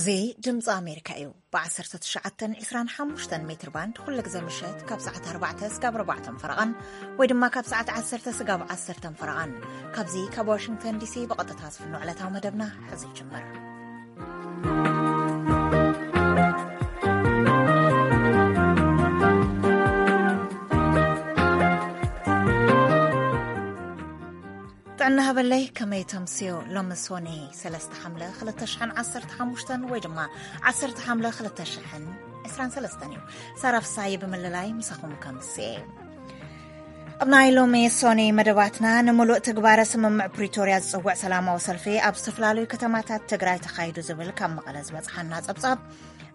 እዚ ድምፂ ኣሜሪካ እዩ። ብ19 ን25 ሜትር ባንድ ኩሉ ግዜ ምሸት ካብ ሰዓት 4 ስጋብ 4 ፈረቓን ወይ ድማ ካብ ሰዓት 10 ስጋብ 10 ፈረቓን ካብዚ ካብ ዋሽንግተን ዲሲ ብቐጥታ ዝፍኖ ዕለታዊ መደብና ሕዚ ይጅምር። ጥዕና ሃበለይ፣ ከመይ ተምስዮ? ሎሚ ሶኒ 3 ሓምለ 2015 ወይ ድማ 10 ሓምለ 2023 እዩ። ሳራ ፍሳይ ብምልላይ ምሳኹም ከምስየ። ኣብ ናይ ሎሚ ሶኒ መደባትና፣ ንምሉእ ትግባረ ስምምዕ ፕሪቶርያ ዝጽውዕ ሰላማዊ ሰልፊ ኣብ ዝተፈላለዩ ከተማታት ትግራይ ተኻይዱ ዝብል ካብ መቐለ ዝበጽሓና ጸብጻብ፣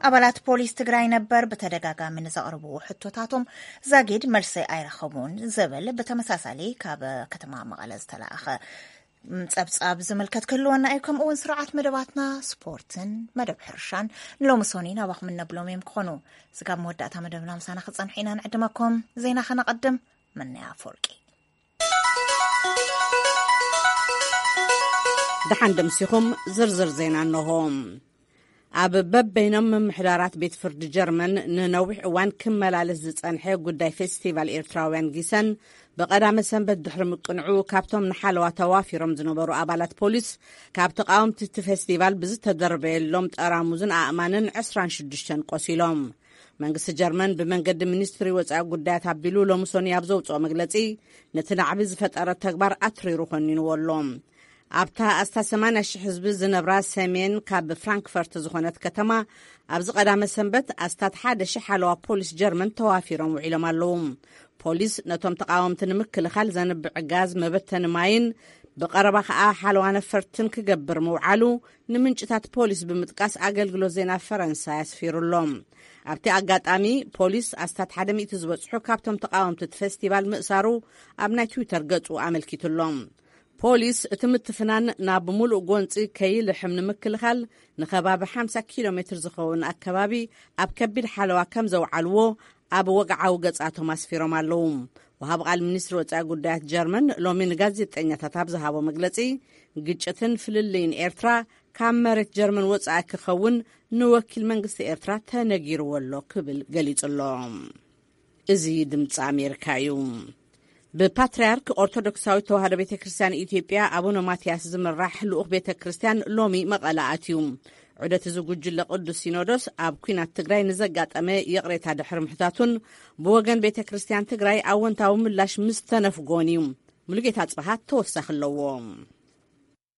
ኣባላት ፖሊስ ትግራይ ነበር ብተደጋጋሚ ንዘቕርብዎ ሕቶታቶም ዛጊድ መልሲ ኣይረኸቡን ዝብል ብተመሳሳሊ ካብ ከተማ መቐለ ዝተላእኸ ጸብጻብ ዝምልከት ክህልወና እዩ። ከምኡ እውን ስርዓት መደባትና፣ ስፖርትን መደብ ሕርሻን ንሎሚ ሶኒ ናባኹም እነብሎም እዮም ክኾኑ። ስጋብ መወዳእታ መደብና ምሳና ክጸንሑ ኢና ንዕድመኩም። ዜና ከነቐድም። መነያ ኣፈወርቂ። ደሓን ደምሲኹም። ዝርዝር ዜና እንሆ። ኣብ በበይኖም ምምሕዳራት ቤት ፍርዲ ጀርመን ንነዊሕ እዋን ክመላለስ ዝጸንሐ ጉዳይ ፌስቲቫል ኤርትራውያን ጊሰን ብቐዳመ ሰንበት ድሕሪ ምቅንዑ፣ ካብቶም ንሓለዋ ተዋፊሮም ዝነበሩ ኣባላት ፖሊስ፣ ካብ ተቃወምቲ እቲ ፌስቲቫል ብዝተደርበየሎም ጠራሙዝን ኣእማንን 26 ቆሲሎም። መንግስቲ ጀርመን ብመንገዲ ሚኒስትሪ ወጻኢ ጉዳያት ኣቢሉ ሎሚ ሶኒ ኣብ ዘውጽኦ መግለጺ፣ ነቲ ናዕቢ ዝፈጠረ ተግባር ኣትሪሩ ኮኒንዎ ኣሎ። ኣብታ ኣስታት 80,000 ህዝቢ ዝነብራ ሰሜን ካብ ፍራንክፈርት ዝኾነት ከተማ፣ ኣብዚ ቀዳመ ሰንበት ኣስታት 1,000 ሓለዋ ፖሊስ ጀርመን ተዋፊሮም ውዒሎም ኣለዉ። ፖሊስ ነቶም ተቃወምቲ ንምክልኻል ዘንብዕ ጋዝ፣ መበተኒ ማይን ብቐረባ ከኣ ሓለዋ ነፈርትን ክገብር ምውዓሉ ንምንጭታት ፖሊስ ብምጥቃስ ኣገልግሎት ዜና ፈረንሳ ኣስፊሩ ኣሎ። ኣብቲ ኣጋጣሚ ፖሊስ ኣስታት ሓደ ሚእቲ ዝበጽሑ ካብቶም ተቃወምቲ እቲ ፌስቲቫል ምእሳሩ ኣብ ናይ ትዊተር ገጹ ኣመልኪቱ ኣሎ። ፖሊስ እቲ ምትፍናን ናብ ምሉእ ጎንጺ ከይልሕም ንምክልኻል ንከባቢ 50 ኪሎ ሜትር ዝኸውን ኣከባቢ ኣብ ከቢድ ሓለዋ ከም ዘውዓልዎ ኣብ ወግዓዊ ገጻቶም ኣስፊሮም ኣለዉ። ወሃብ ቃል ሚኒስትሪ ወጻኢ ጉዳያት ጀርመን ሎሚ ንጋዜጠኛታት ኣብ ዝሃቦ መግለጺ፣ ግጭትን ፍልልይን ኤርትራ ካብ መሬት ጀርመን ወጻኢ ክኸውን ንወኪል መንግስቲ ኤርትራ ተነጊርዎ ኣሎ ክብል ገሊጹ ኣሎ። እዚ ድምፂ ኣሜሪካ እዩ። ብፓትርያርክ ኦርቶዶክሳዊት ተዋህዶ ቤተ ክርስቲያን ኢትዮጵያ ኣቡነ ማትያስ ዝምራሕ ልኡኽ ቤተ ክርስቲያን ሎሚ መቐለ ኣትዩ። ዑደት እዚ ጉጅለ ቅዱስ ሲኖዶስ ኣብ ኲናት ትግራይ ንዘጋጠመ ይቕሬታ ድሕሪ ምሕታቱን ብወገን ቤተ ክርስቲያን ትግራይ ኣወንታዊ ምላሽ ምስ ተነፍጎን እዩ። ሙሉጌታ ጽብሃት ተወሳኺ ኣለዎ።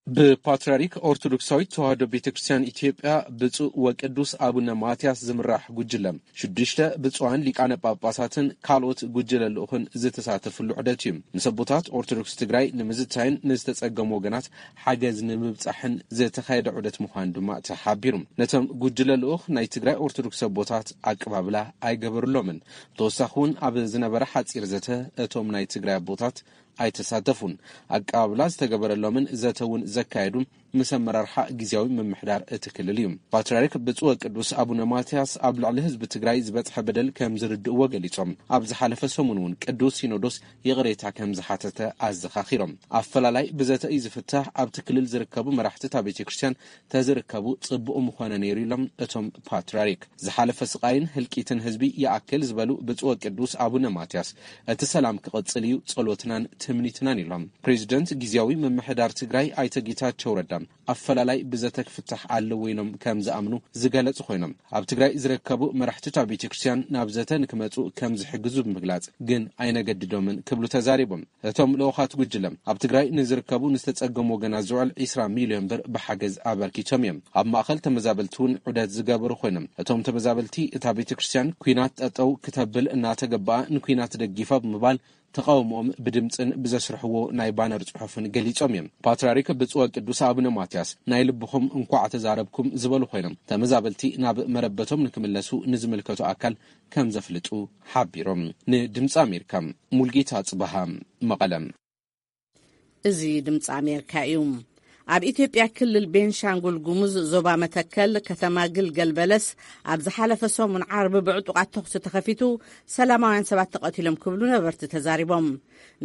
ብፓትርያርክ ኦርቶዶክሳዊት ተዋህዶ ቤተ ክርስቲያን ኢትዮጵያ ብፁዕ ወቅዱስ ኣቡነ ማትያስ ዝምራሕ ጉጅለ፣ ሽዱሽተ ብፁዓን ሊቃነ ጳጳሳትን ካልኦት ጉጅለ ልኡኽን ዝተሳተፍሉ ዑደት እዩ። ምስ ኣቦታት ኦርቶዶክስ ትግራይ ንምዝታይን ንዝተጸገሙ ወገናት ሓገዝ ንምብጻሕን ዝተኻየደ ዑደት ምዃኑ ድማ ተሓቢሩ። ነቶም ጉጅለ ልኡኽ ናይ ትግራይ ኦርቶዶክስ ኣቦታት ኣቀባብላ ኣይገበሩሎምን። ብተወሳኺ እውን ኣብ ዝነበረ ሓጺር ዘተ እቶም ናይ ትግራይ ኣቦታት ኣይተሳተፉን። ኣቀባብላ ዝተገበረሎምን ዘተ እውን ዘካየዱ ምስ ኣመራርሓ ግዝያዊ ምምሕዳር እቲ ክልል እዩ። ፓትርያርክ ብፁዕ ወቅዱስ ኣቡነ ማትያስ ኣብ ልዕሊ ህዝቢ ትግራይ ዝበፅሐ በደል ከም ዝርድእዎ ገሊጾም፣ ኣብ ዝሓለፈ ሰሙን እውን ቅዱስ ሲኖዶስ ይቕሬታ ከም ዝሓተተ ኣዘኻኺሮም። ኣፈላላይ ብዘተ እዩ ዝፍታሕ፣ ኣብቲ ክልል ዝርከቡ መራሕቲ እታ ቤተ ክርስቲያን ተዝርከቡ ጽቡቕ ምኾነ ነይሩ ኢሎም እቶም ፓትርያርክ። ዝሓለፈ ስቓይን ህልቂትን ህዝቢ ይኣክል ዝበሉ ብፁዕ ወቅዱስ ኣቡነ ማትያስ፣ እቲ ሰላም ክቕጽል እዩ ጸሎትናን ትምኒትናን ኢሎም። ፕሬዚደንት ግዝያዊ ምምሕዳር ትግራይ ኣይተ ጌታቸው ረዳ ኣፈላላይ ብዘተ ክፍታሕ ኣለዎ ኢሎም ከም ዝኣምኑ ዝገለጹ ኮይኖም፣ ኣብ ትግራይ ዝርከቡ መራሕቲ እታ ቤተ ክርስቲያን ናብ ዘተ ንክመጹ ከም ዝሕግዙ ብምግላጽ፣ ግን ኣይነገድዶምን ክብሉ ተዛሪቦም። እቶም ልኡኻት ጉጅለ ኣብ ትግራይ ንዝርከቡ ንዝተጸገሙ ወገናት ዝውዕል 20 ሚልዮን ብር ብሓገዝ ኣበርኪቶም እዮም። ኣብ ማእኸል ተመዛበልቲ እውን ዑደት ዝገበሩ ኮይኖም፣ እቶም ተመዛበልቲ እታ ቤተ ክርስቲያን ኲናት ጠጠው ክተብል እናተገበኣ ንኲናት ደጊፋ ብምባል ተቃውሞኦም ብድምፅን ብዘስርሕዎ ናይ ባነር ጽሑፍን ገሊጾም እዮም። ፓትርያርክ ብፁዕ ወቅዱስ ኣቡነ ማትያስ ናይ ልብኹም እንኳዕ ተዛረብኩም ዝበሉ ኮይኖም፣ ተመዛበልቲ ናብ መረበቶም ንክምለሱ ንዝምልከቱ ኣካል ከም ዘፍልጡ ሓቢሮም። ንድምፂ ኣሜሪካ፣ ሙልጌታ ጽበሃ፣ መቐለ። እዚ ድምፂ ኣሜሪካ እዩ። ኣብ ኢትዮጵያ ክልል ቤንሻንጉል ጉሙዝ ዞባ መተከል ከተማ ግልገል በለስ ኣብ ዝሓለፈ ሰሙን ዓርቢ ብዕጡቓት ተኹሲ ተኸፊቱ ሰላማውያን ሰባት ተቐቲሎም ክብሉ ነበርቲ ተዛሪቦም።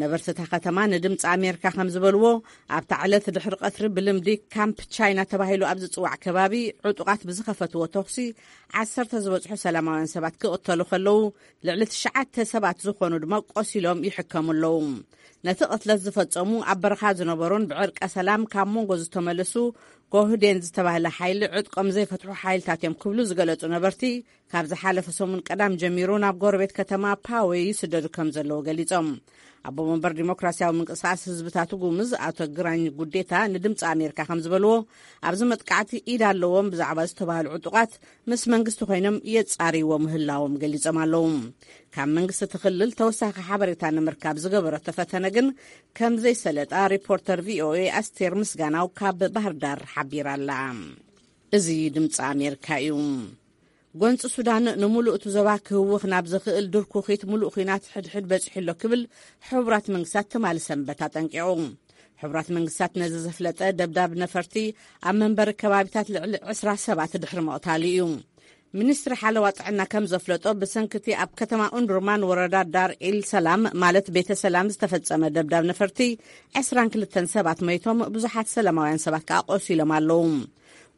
ነበርቲ እታ ከተማ ንድምፂ ኣሜሪካ ከም ዝበልዎ ኣብታ ዕለት ድሕሪ ቀትሪ ብልምዲ ካምፕ ቻይና ተባሂሉ ኣብ ዝፅዋዕ ከባቢ ዕጡቓት ብዝኸፈትዎ ተኹሲ ዓሰርተ ዝበፅሑ ሰላማውያን ሰባት ክቕተሉ ከለዉ ልዕሊ ትሽዓተ ሰባት ዝኾኑ ድማ ቆሲሎም ይሕከሙ ኣለዉ። ነቲ ቅትለት ዝፈጸሙ ኣብ በረኻ ዝነበሩን ብዕርቀ ሰላም ካብ መንጎ ዝተመለሱ ጎህዴን ዝተባህለ ሓይሊ ዕጥቆም ዘይፈትሑ ሓይልታት እዮም ክብሉ ዝገለጹ ነበርቲ ካብ ዝሓለፈ ሰሙን ቀዳም ጀሚሩ ናብ ጎረቤት ከተማ ፓወ ይስደዱ ከም ዘለዉ ገሊጾም። ኣቦ መንበር ዲሞክራሲያዊ ምንቅስቃስ ህዝብታት ጉምዝ ኣቶ ግራኝ ጉዴታ ንድምፂ ኣሜሪካ ከም ዝበልዎ ኣብዚ መጥቃዕቲ ኢድ ኣለዎም ብዛዕባ ዝተባህሉ ዕጡቓት ምስ መንግስቲ ኮይኖም የጻርይዎ ምህላዎም ገሊጾም ኣለዉ። ካብ መንግስቲ እቲ ክልል ተወሳኺ ሓበሬታ ንምርካብ ዝገበረቶ ፈተነ ግን ከም ዘይሰለጣ ሪፖርተር ቪኦኤ ኣስቴር ምስጋናው ካብ ባህር ዳር ሓቢራ ኣላ። እዚ ድምፂ ኣሜሪካ እዩ። ጎንፂ ሱዳን ንምሉእ እቲ ዞባ ክህውኽ ናብ ዝኽእል ድርኩኺት ምሉእ ኲናት ሕድሕድ በፂሑ ኣሎ ክብል ሕቡራት መንግስታት ትማሊ ሰንበት ኣጠንቂቑ። ሕቡራት መንግስታት ነዚ ዘፍለጠ ደብዳብ ነፈርቲ ኣብ መንበሪ ከባቢታት ልዕሊ ዕስራ ሰባት ድሕሪ ምቕታሉ እዩ። ሚኒስትሪ ሓለዋ ጥዕና ከም ዘፍለጦ ብሰንክቲ ኣብ ከተማ ኡንዱርማን ወረዳ ዳር ኢል ሰላም ማለት ቤተ ሰላም ዝተፈጸመ ደብዳብ ነፈርቲ ዕስራን ክልተን ሰባት መይቶም ብዙሓት ሰላማውያን ሰባት ከኣ ቆሲሎም ኣለዉ።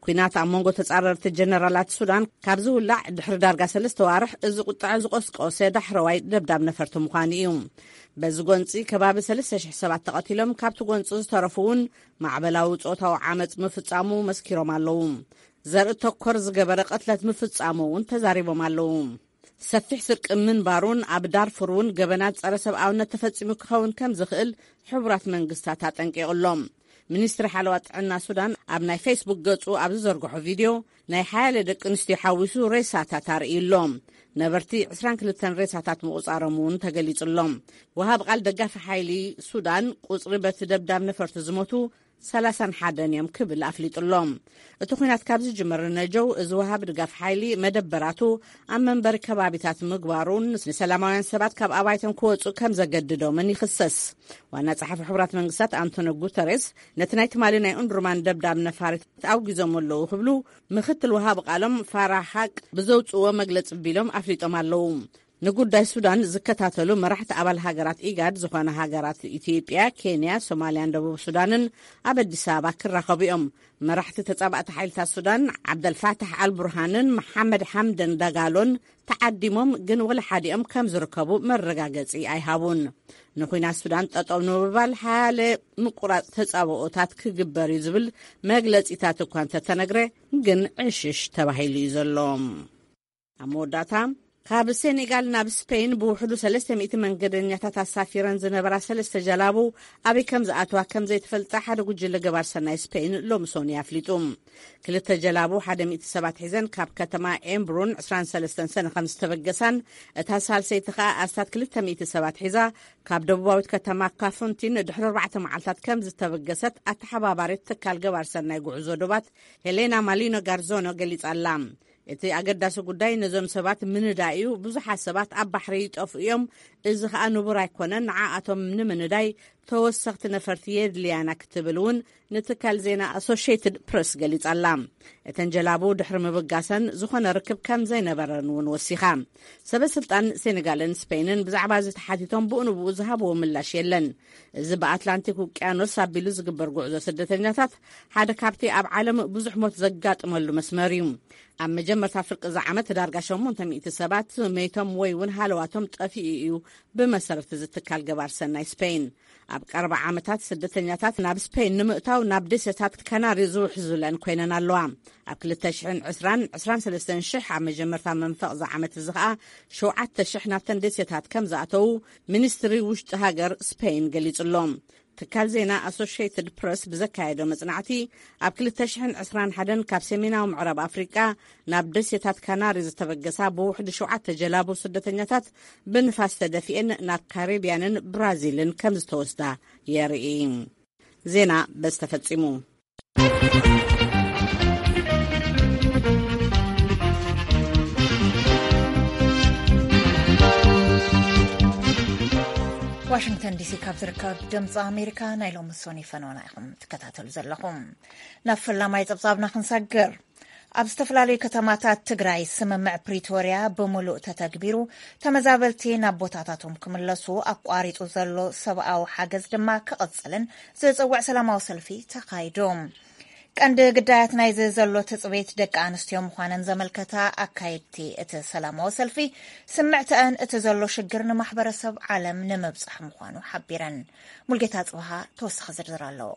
ኲናት ኣብ መንጎ ተጻረርቲ ጀነራላት ሱዳን ካብ ዝውላዕ ድሕሪ ዳርጋ ሰለስተ ዋርሕ እዚ ቁጥዐ ዝቆስቆሰ ዳሕረዋይ ደብዳብ ነፈርቲ ምዃኑ እዩ። በዚ ጎንጺ ከባቢ ሰለስተ ሽሕ ሰባት ተቐቲሎም ካብቲ ጎንጺ ዝተረፉ እውን ማዕበላዊ ጾታዊ ዓመጽ ምፍጻሙ መስኪሮም ኣለዉ። ዘርኢ ተኮር ዝገበረ ቅትለት ምፍጻሙ እውን ተዛሪቦም ኣለዉ። ሰፊሕ ስርቂ ምንባሩን ኣብ ዳርፉር እውን ገበናት ጸረ ሰብኣውነት ተፈጺሙ ክኸውን ከም ዝኽእል ሕቡራት መንግስታት ኣጠንቂቑሎም። ሚኒስትሪ ሓለዋ ጥዕና ሱዳን ኣብ ናይ ፌስቡክ ገጹ ኣብ ዝዘርግሖ ቪድዮ ናይ ሓያለ ደቂ ኣንስትዮ ሓዊሱ ሬሳታት ኣርእዩ ኣሎ። ነበርቲ ዕስራን ክልተን ሬሳታት ምቑጻሮም እውን ተገሊጹሎም። ወሃብ ቃል ደጋፊ ሓይሊ ሱዳን ቁጽሪ በቲ ደብዳብ ነፈርቲ ዝሞቱ ሰላሳን ሓደን እዮም ክብል ኣፍሊጡ ኣሎ። እቲ ኲናት ካብ ዝጅመር ነጀው እዚ ወሃቢ ድጋፍ ሓይሊ መደበራቱ ኣብ መንበሪ ከባቢታት ምግባሩን ንሰላማውያን ሰባት ካብ ኣባይቶም ክወጹ ከም ዘገድዶምን ይኽሰስ። ዋና ጸሓፊ ሕቡራት መንግስታት ኣንቶኒ ጉተሬስ ነቲ ናይ ትማሊ ናይ ኡንድርማን ደብዳብ ነፋሪት ኣውጊዞም ኣለዉ ክብሉ ምክትል ወሃቢ ቃሎም ፋራ ሓቅ ብዘውጽእዎ መግለጺ ቢሎም ኣፍሊጦም ኣለዉ። ንጉዳይ ሱዳን ዝከታተሉ መራሕቲ ኣባል ሃገራት ኢጋድ ዝኾነ ሃገራት ኢትዮጵያ፣ ኬንያ፣ ሶማልያን ደቡብ ሱዳንን ኣብ ኣዲስ ኣበባ ክራኸቡ እዮም። መራሕቲ ተጻባእቲ ሓይልታት ሱዳን ዓብደልፋታሕ ኣልቡርሃንን መሓመድ ሓምደን ዳጋሎን ተዓዲሞም ግን ወላ ሓዲኦም ከም ዝርከቡ መረጋገጺ ኣይሃቡን። ንኹናት ሱዳን ጠጠው ንምባል ሓያለ ምቁራጽ ተጻብኦታት ክግበር እዩ ዝብል መግለጺታት እኳ እንተተነግረ ግን ዕሽሽ ተባሂሉ እዩ ዘሎ። ኣብ መወዳእታ ካብ ሴኔጋል ናብ ስፔን ብውሕዱ ሰለስተ ሚእቲ መንገደኛታት ኣሳፊረን ዝነበራ ሰለስተ ጀላቡ ኣበይ ከም ዝኣተዋ ከም ዘይትፈልጣ ሓደ ጉጅለ ገባር ሰናይ ስፔን ሎሚ ሶኒ ኣፍሊጡ። ክልተ ጀላቡ ሓደ ሚእቲ ሰባት ሒዘን ካብ ከተማ ኤምብሩን ዕስራን ሰለስተን ሰነ ከም ዝተበገሳን እታ ሳልሰይቲ ከኣ ኣስታት ክልተ ሚእቲ ሰባት ሒዛ ካብ ደቡባዊት ከተማ ካፉንቲን ድሕሪ ኣርባዕተ መዓልታት ከም ዝተበገሰት ኣተሓባባሪት ትካል ገባር ሰናይ ጉዕዞ ዶባት ሄሌና ማሊኖ ጋርዞኖ ገሊጻ ኣላ። እቲ ኣገዳሲ ጉዳይ ነዞም ሰባት ምንዳይ እዩ። ብዙሓት ሰባት ኣብ ባሕሪ ይጠፍኡ እዮም። እዚ ኸኣ ንቡር ኣይኮነን። ንዓኣቶም ንምንዳይ ተወሰኽቲ ነፈርቲ የድልያና ክትብል እውን ንትካል ዜና ኣሶሽየትድ ፕረስ ገሊጻ ኣላ። እተን ጀላቡ ድሕሪ ምብጋሰን ዝኾነ ርክብ ከም ዘይነበረን እውን ወሲኻ። ሰበ ስልጣን ሴኔጋልን ስፔንን ብዛዕባ እዚ ተሓቲቶም ብኡ ንብኡ ዝሃብዎ ምላሽ የለን። እዚ ብኣትላንቲክ ውቅያኖስ ኣቢሉ ዝግበር ጉዕዞ ስደተኛታት ሓደ ካብቲ ኣብ ዓለም ብዙሕ ሞት ዘጋጥመሉ መስመር እዩ። ኣብ መጀመርታ ፍርቂ እዚ ዓመት ዳርጋ ሸሞንተ ሚእቲ ሰባት መይቶም ወይ እውን ሃለዋቶም ጠፊኡ እዩ፣ ብመሰረት እዚ ትካል ገባር ሰናይ ስፔን። ኣብ ቀረባ ዓመታት ስደተኛታት ናብ ስፔን ንምእታው ናብ ደሴታት ካናሪ ዝውሕዙለን ኮይነን ኣለዋ። ኣብ ክልተ ሽሕን ዕስራን፣ ዕስራን ሰለስተን ሽሕ ኣብ መጀመርታ መንፈቕ እዚ ዓመት እዚ ኸኣ ሸውዓተ ሽሕ ናብተን ደሴታት ከም ዝኣተዉ ሚኒስትሪ ውሽጢ ሃገር ስፔን ገሊጹ ኣሎ። ትካል ዜና ኣሶሽየትድ ፕረስ ብዘካየዶ መጽናዕቲ ኣብ ክልተ ሽሕን ዕስራን ሓደን ካብ ሰሜናዊ ምዕራብ ኣፍሪቃ ናብ ደሴታት ካናሪ ዝተበገሳ ብውሕዲ ሸውዓተ ጀላቡ ስደተኛታት ብንፋስ ተደፊኤን ናብ ካሪብያንን ብራዚልን ከም ዝተወስዳ የርኢ። ዜና በዚ ተፈጺሙ። ዋሽንግተን ዲሲ ካብ ዝርከብ ድምፂ ኣሜሪካ ናይ ሎሚ ሶኒ ፈነወና ኢኹም ትከታተሉ ዘለኹም። ናብ ፈላማይ ጸብጻብና ክንሰግር። ኣብ ዝተፈላለዩ ከተማታት ትግራይ ስምምዕ ፕሪቶርያ ብምሉእ ተተግቢሩ፣ ተመዛበልቲ ናብ ቦታታቶም ክምለሱ፣ ኣቋሪጹ ዘሎ ሰብኣዊ ሓገዝ ድማ ክቕጽልን ዝጽውዕ ሰላማዊ ሰልፊ ተኻይዱ። ቀንዲ ግዳያት ናይዚ ዘሎ ትጽቢት ደቂ ኣንስትዮ ምዃነን ዘመልከታ ኣካየድቲ እቲ ሰላማዊ ሰልፊ፣ ስምዕተኣን እቲ ዘሎ ሽግር ንማሕበረሰብ ዓለም ንምብጻሕ ምዃኑ ሓቢረን። ሙልጌታ ጽብሃ ተወሳኺ ዝርዝር ኣለዎ።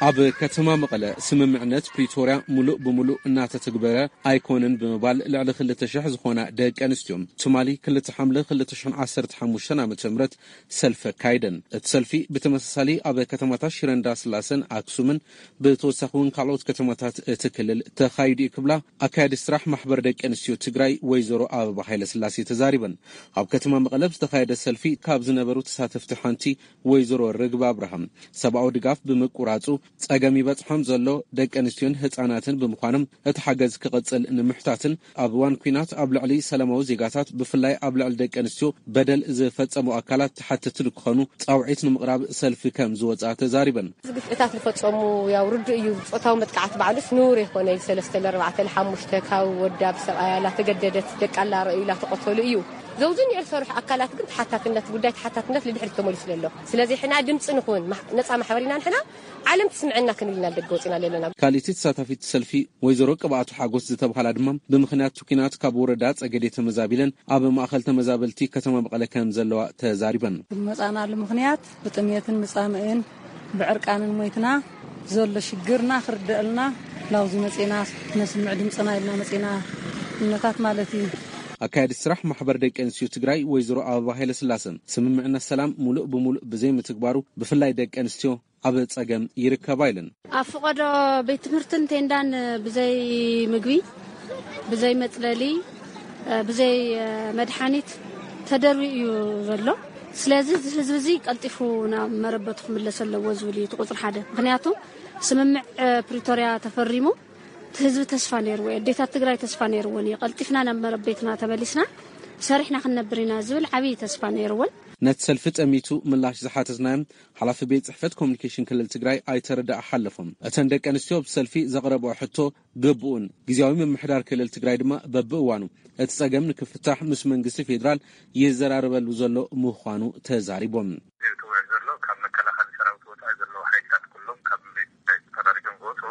ኣብ ከተማ መቐለ ስምምዕነት ፕሪቶርያ ሙሉእ ብሙሉእ እናተተግበረ ኣይኮነን ብምባል፣ ልዕሊ ክልተ ሽሕ ዝኾና ደቂ ኣንስትዮ ትማሊ ክልተ ሓምለ ክልተ ሽሕን ዓሰርተ ሓሙሽተን ዓመተ ምህረት ሰልፊ ኣካይደን። እቲ ሰልፊ ብተመሳሳሊ ኣብ ከተማታት ሽረ እንዳስላሰን ኣክሱምን ብተወሳኺ እውን ካልኦት ከተማታት እቲ ክልል ተኻይዱ እዩ ክብላ ኣካያዲ ስራሕ ማሕበር ደቂ ኣንስትዮ ትግራይ ወይዘሮ ኣበባ ሃይለስላሴ ተዛሪበን። ኣብ ከተማ መቐለ ዝተኻየደ ሰልፊ ካብ ዝነበሩ ተሳተፍቲ ሓንቲ ወይዘሮ ርግብ ኣብርሃም፣ ሰብኣዊ ድጋፍ ብምቁራጹ ጸገም ይበጽሖም ዘሎ ደቂ ኣንስትዮን ህጻናትን ብምዃኖም እቲ ሓገዝ ክቕጽል ንምሕታትን ኣብ እዋን ኲናት ኣብ ልዕሊ ሰላማዊ ዜጋታት ብፍላይ ኣብ ልዕሊ ደቂ ኣንስትዮ በደል ዝፈጸሙ ኣካላት ተሓተቲ ንክኾኑ ጻውዒት ንምቕራብ ሰልፊ ከም ዝወጽኣ ተዛሪበን። እዚ ግፍዕታት ዝፈጸሙ ያው ርዱእ እዩ። ጾታዊ መጥቃዕቲ ባዕሉስ ንውር ይኾነ እዩ። ሰለስተ ለኣርባዕተ ለሓሙሽተ ካብ ወዳ ብሰብኣያ ላተገደደት ደቃ ላረእዩ ላተቆተሉ እዩ። ዘውዝን ይዕል ሰርሑ ኣካላት ግን ተሓታትነት፣ ጉዳይ ተሓታትነት ልድሕሪት ተመሊሱ ዘሎ። ስለዚ ሕና ድምፂ ንኹን፣ ማሕ-፣ ነፃ ማሕበር ኢና ንሕና፣ ዓለም ትስምዐና ክንብል ኢና ደገ ወፂና ዘለና። ካልእቲ ተሳታፊት ሰልፊ ወይዘሮ ቅብኣቱ ሓጎስ ዝተብሃላ ድማ ብምኽንያት ኲናት ካብ ወረዳ ጸገዴ ተመዛቢለን ኣብ ማእኸል ተመዛበልቲ ከተማ መቐለ ከም ዘለዋ ተዛሪበን። ዝመጻናሉ ምኽንያት ብጥሜትን ምጻምእን ብዕርቃንን ሞይትና ዘሎ ሽግርና ክርደአልና ላውዚ መጺና ነስምዕ ድምጽና ኢልና መጺና እምነታት ማለት እዩ። ኣካያዲ ስራሕ ማሕበር ደቂ ኣንስትዮ ትግራይ ወይዘሮ ኣበባ ሃይለስላሰ ስምምዕነት ሰላም ሙሉእ ብሙሉእ ብዘይምትግባሩ ብፍላይ ደቂ ኣንስትዮ ኣብ ጸገም ይርከባ ኢለን። ኣብ ፍቐዶ ቤት ትምህርትን ቴንዳን ብዘይ ምግቢ፣ ብዘይ መጽለሊ፣ ብዘይ መድሓኒት ተደርብዩ እዩ ዘሎ። ስለዚ እዚ ህዝቢ እዚ ቀልጢፉ ናብ መረበቱ ክምለስ ኣለዎ ዝብል እዩ እቲ ቁጽሪ ሓደ። ምኽንያቱ ስምምዕ ፕሪቶርያ ተፈሪሙ እቲ ህዝቢ ተስፋ ነይርዎ፣ ኣዴታት ትግራይ ተስፋ ነይርወን እዩ። ቀልጢፍና ናብ መረቤትና ተመሊስና ሰሪሕና ክንነብር ኢና ዝብል ዓብዪ ተስፋ ነይርወን። ነቲ ሰልፊ ጠሚቱ ምላሽ ዝሓተትናዮም ሓላፊ ቤት ጽሕፈት ኮሙኒኬሽን ክልል ትግራይ ኣይተ ረዳእ ሓለፎም፣ እተን ደቂ ኣንስትዮ ብሰልፊ ዘቕረብኦ ሕቶ ግቡእን ግዝያዊ ምምሕዳር ክልል ትግራይ ድማ በብእዋኑ እቲ ጸገም ንክፍታሕ ምስ መንግስቲ ፌዴራል ይዘራረበሉ ዘሎ ምዃኑ ተዛሪቦም። ዝውዕል ዘሎ ካብ መከላኸሊ ሰራዊት ወጻኢ ዘለዉ ሓይልታት ኩሎም ካብ መሬት ትግራይ ተፈራሪጆም ክወጹ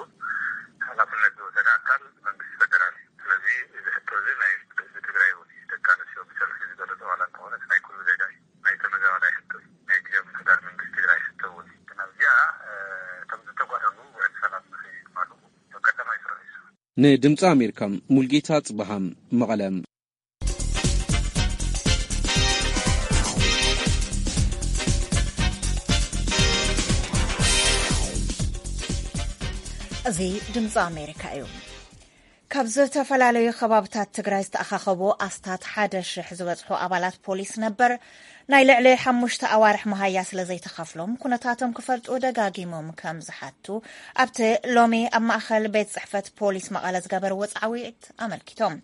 ሓላፍነት ዝወሰደ ኣካል መንግስቲ ፌደራል እዩ። ስለዚ እዚ ሕቶ እዚ ናይ ህዝቢ ትግራይ እውን እዩ። ደቂ ኣንስትዮ ብሰልፊ ዝገለጾ ዋላ እንተኾነ እቲ ናይ ኩሉ ዜጋ እዩ። ናይ ተመዛባላይ ሕቶ እዩ። ናይ ግዝያዊ ምምሕዳር መንግስቲ ትግራይ ሕቶ እውን እዩ። ግን ኣብዚኣ፣ እ፣ እቶም ዝተጓደሉ ውዕል ሰላም ንኸይማልኡ ቀዳማይ ስራሕ እዩ። ንድምፂ ኣሜሪካ ሙልጌታ ጽበሃም መቐለ። እዚ ድምፂ ኣሜሪካ እዩ። ካብ ዝተፈላለዩ ከባብታት ትግራይ ዝተኣኻኸቡ ኣስታት ሓደ ሽሕ ዝበፅሑ ኣባላት ፖሊስ ነበር ናይ ልዕሊ ሓሙሽተ ኣዋርሕ መሃያ ስለ ዘይተኸፍሎም ኩነታቶም ክፈልጡ ደጋጊሞም ከም ዝሓቱ ኣብቲ ሎሚ ኣብ ማእኸል ቤት ፅሕፈት ፖሊስ መቐለ ዝገበርዎ ፃዕዊት ኣመልኪቶም።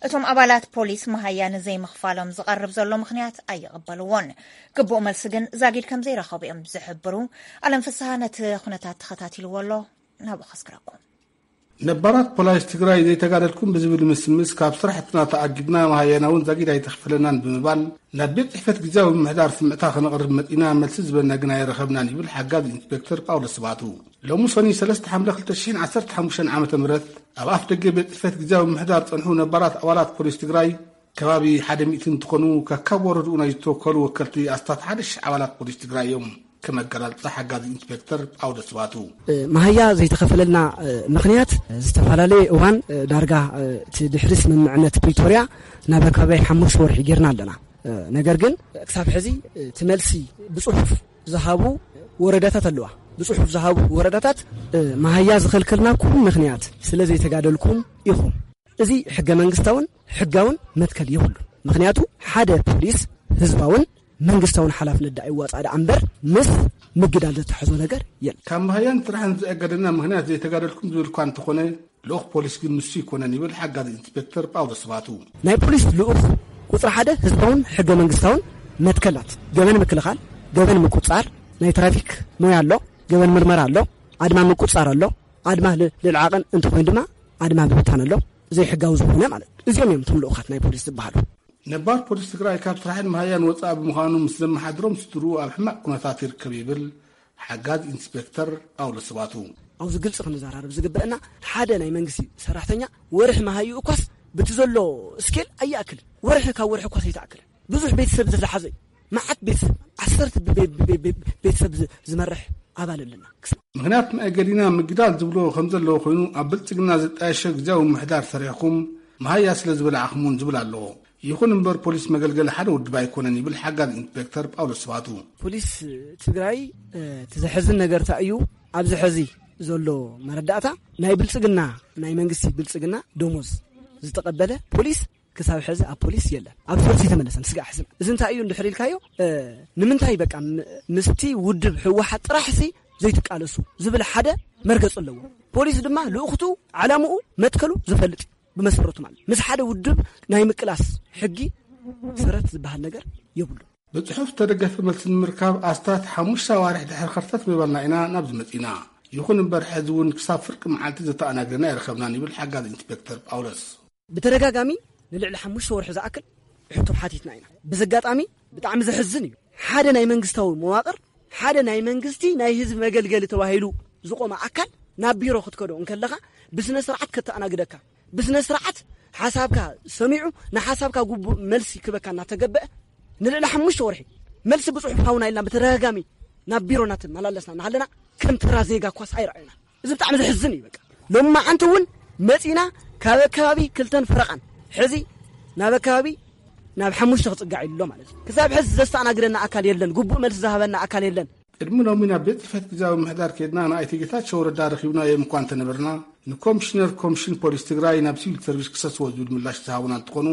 እቶም ኣባላት ፖሊስ መሃያ ንዘይምኽፋሎም ዝቐርብ ዘሎ ምኽንያት ኣይቕበልዎን። ግቡእ መልሲ ግን ዛጊድ ከም ዘይረኸቡ እዮም ዝሕብሩ። ኣለም ፍስሃ ነቲ ኩነታት ተኸታቲልዎ ኣሎ። ናብኡ ከስግረኩም። ነባራት ፖላይስ ትግራይ ዘይተጋደልኩም ብዝብል ምስምስ ካብ ስራሕትና ተኣጊድና፣ መሃያና እውን ዛጊድ ኣይተኽፈለናን ብምባል ናብ ቤት ጽሕፈት ግዝያዊ ምምሕዳር ስምዕታ ከነቕርብ መጺና፣ መልሲ ዝበና ግን ኣይረኸብናን ይብል ሓጋዝ ኢንስፔክተር ጳውሎስ ስብሃቱ። ሎሚ ሰኑይ ሰለስተ ሓምለ ክልተ ሽሕን ዓሰርተ ሓሙሽተን ዓመተ ምህረት ኣብ ኣፍ ደገ ቤት ጽሕፈት ግዝያዊ ምምሕዳር ጸንሑ ነባራት ኣባላት ፖሊስ ትግራይ ከባቢ ሓደ ሚእቲ እንትኾኑ፣ ከካብ ወረድኡ ናይ ዝተወከሉ ወከልቲ ኣስታት ሓደ ሽሕ ኣባላት ፖሊስ ትግራይ እዮም። ከም ኣገላልጻ ሓጋዚ ኢንስፔክተር ጳውሎስ ስብሃቱ። መሃያ ዘይተኸፈለልና ምኽንያት ዝተፈላለየ እዋን፣ ዳርጋ እቲ ድሕሪ ስምምዕነት ፕሪቶርያ ናብ ከባቢ ሓሙሽተ ወርሒ ጌርና ኣለና። ነገር ግን ክሳብ ሕዚ እቲ መልሲ ብጽሑፍ ዝሃቡ ወረዳታት ኣለዋ። ብጽሑፍ ዝሃቡ ወረዳታት መሃያ ዝኸልከልናኩም ምኽንያት ስለ ዘይተጋደልኩም ኢኹም። እዚ ሕገ መንግስታውን ሕጋውን መትከል የብሉን። ምኽንያቱ ሓደ ፖሊስ ህዝባውን መንግስታውን ሓላፍነት ደኣ ይዋፃእ ደኣ እምበር ምስ ምግዳል ዘተሓዞ ነገር የለን። ካብ መሃያን ስራሕን ዘእገደና ምኽንያት ዘይተጋደልኩም ዝብል እኳ እንተኾነ፣ ልኡኽ ፖሊስ ግን ንሱ ይኮነን ይብል ሓጋዚ ኢንስፔክተር ጳውሎስ ስባቱ። ናይ ፖሊስ ልኡኽ ቁፅሪ ሓደ ህዝባውን ሕገ መንግስታውን መትከላት፣ ገበን ምክልኻል፣ ገበን ምቁፃር፣ ናይ ትራፊክ ሞያ ኣሎ፣ ገበን ምርመራ ኣሎ፣ ኣድማ ምቁፃር ኣሎ፣ ኣድማ ል- ልዕዓቕን እንተኾይኑ ድማ ኣድማ ብብታን ኣሎ፣ ዘይሕጋዊ ዝኾነ ማለት እዩ። እዚኦም እዮም እቶም ልኡኻት ናይ ፖሊስ ዝበሃሉ። ነባር ፖሊስ ትግራይ ካብ ስራሕን መሃያን ወፃኢ ብምዃኑ ምስ ዘመሓድሮም ስድርኡ ኣብ ሕማቕ ኩነታት ይርከብ ይብል ሓጋዝ ኢንስፔክተር ጳውሎስ ስባቱ። ኣብዚ ግልፂ ክንዘራረብ ዝግበአና፣ ሓደ ናይ መንግስቲ ሰራሕተኛ ወርሒ መሃይኡ እኳስ ብቲ ዘሎ ስኬል ኣይኣክልን። ወርሒ ካብ ወርሒ እኳስ ኣይተኣክልን። ብዙሕ ቤተሰብ ዝሓዘ እዩ። መዓት ቤተሰብ፣ ዓሰርተ ቤ- ቤ- ቤ- ቤተሰብ ዝ- ዝመርሕ ኣባል ኣለና። ምኽንያት መእገዲና ምግዳል ዝብሎ ከም ዘለዎ ኮይኑ፣ ኣብ ብልፅግና ዝጣየሸ ግዜያዊ ምሕዳር ሰሪሕኩም መሃያ ስለ ዝበላዕኹም እውን ዝብል ኣለዎ። ይኹን እምበር ፖሊስ መገልገሊ ሓደ ውድብ ኣይኮነን ይብል ሓጋዝ ኢንስፔክተር ጳውሎስ ስባቱ። ፖሊስ ትግራይ እቲ ዘሕዝን ነገር እንታይ እዩ? ኣብዚ ሕዚ ዘሎ መረዳእታ ናይ ብልፅግና፣ ናይ መንግስቲ ብልፅግና ደሞዝ ዝተቐበለ ፖሊስ ክሳብ ሕዚ ኣብ ፖሊስ የለን። ኣብ ሶርስ የተመለሰን ስጋዕ ሕዝና እዚ እንታይ እዩ እንድሕር ኢልካዮ፣ ንምንታይ በቃ ምስቲ ውድብ ህወሓት ጥራሕሲ ዘይትቃለሱ ዝብል ሓደ መርገፂ ኣለዎ። ፖሊስ ድማ ልእኽቱ፣ ዓላምኡ፣ መትከሉ ዝፈልጥ እዩ። ብመሰረቱ ማለት ምስ ሓደ ውድብ ናይ ምቅላስ ሕጊ ሰረት ዝበሃል ነገር የብሉ። ብፅሑፍ ዝተደገፈ መልሲ ንምርካብ ኣስታት ሓሙሽተ ኣዋርሕ ድሕሪ ከርተት ምባልና ኢና ናብዚ መፂና። ይኹን እምበር ሕዚ እውን ክሳብ ፍርቂ መዓልቲ ዘተኣናግደና ይረኸብናን ይብል ሓጋዝ ኢንስፔክተር ጳውሎስ። ብተደጋጋሚ ንልዕሊ ሓሙሽተ ወርሒ ዝኣክል ሕቶ ሓቲትና ኢና። ብዚ ኣጋጣሚ ብጣዕሚ ዘሕዝን እዩ። ሓደ ናይ መንግስታዊ መዋቕር፣ ሓደ ናይ መንግስቲ ናይ ህዝቢ መገልገሊ ተባሂሉ ዝቆመ ኣካል ናብ ቢሮ ክትከዶ እንከለኻ ብስነ ስርዓት ከተኣናግደካ፣ ብስነ ስርዓት ሓሳብካ ሰሚዑ ንሓሳብካ ግቡእ መልሲ ክበካ እናተገበአ ንልዕሊ ሓሙሽተ ወርሒ መልሲ ብፅሑፍ ሃውና ኢልና ብተደጋጋሚ ናብ ቢሮ እናተመላለስና እናሃለና ከም ተራ ዜጋ ኳስ ኣይረኣዩና። እዚ ብጣዕሚ ዘሕዝን እዩ። በቃ ሎማዓንቲ እውን መፂና ካብ ኣከባቢ ክልተን ፈረቓን ሕዚ ናብ ኣከባቢ ናብ ሓሙሽተ ክፅጋዕ ኢሉ ኣሎ ማለት እዩ። ክሳብ ሕዚ ዘስተኣናግደና ኣካል የለን፣ ግቡእ መልሲ ዝሃበና ኣካል የለን። ቅድሚ ሎሚ ናብ ቤት ጽሕፈት ግዜያዊ ምሕዳር ከይድና ንኣይተ ጌታቸው ረዳ ረኺብናዮም እኳ እንተነበርና፣ ንኮሚሽነር ኮሚሽን ፖሊስ ትግራይ ናብ ሲቪል ሰርቪስ ክሰስዎ ዝብል ምላሽ ዝሃቡና እንትኾኑ፣